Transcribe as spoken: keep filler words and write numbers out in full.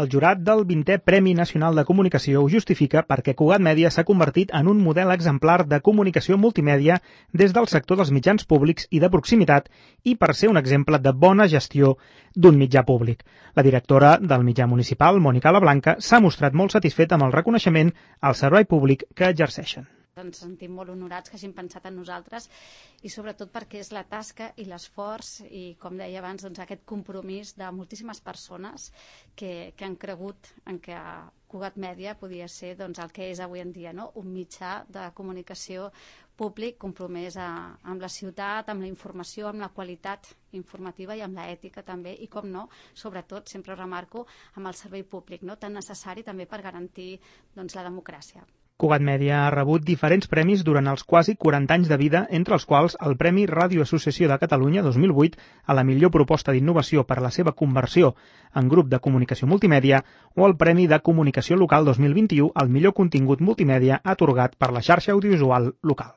El jurat del vintè Premi Nacional de Comunicació ho justifica perquè Cugat Mèdia s'ha convertit en un model exemplar de comunicació multimèdia des del sector dels mitjans públics i de proximitat i per ser un exemple de bona gestió d'un mitjà públic. La directora del mitjà municipal, Mònica Lablanca, s'ha mostrat molt satisfeta amb el reconeixement al servei públic que exerceixen. Ens sentim molt honorats que hagin pensat en nosaltres i sobretot perquè és la tasca i l'esforç i, com deia abans, doncs, aquest compromís de moltíssimes persones que, que han cregut en que Cugat Mèdia podia ser doncs, el que és avui en dia, no? Un mitjà de comunicació públic compromès a, amb la ciutat, amb la informació, amb la qualitat informativa i amb l'ètica també i, com no, sobretot, sempre remarco, amb el servei públic, no? Tan necessari també per garantir doncs, la democràcia. Cugat Mèdia ha rebut diferents premis durant els quasi quaranta anys de vida, entre els quals el Premi Ràdio Associació de Catalunya dos mil vuit a la millor proposta d'innovació per a la seva conversió en grup de comunicació multimèdia o el Premi de Comunicació Local dos mil vint-i-u al millor contingut multimèdia atorgat per la xarxa audiovisual local.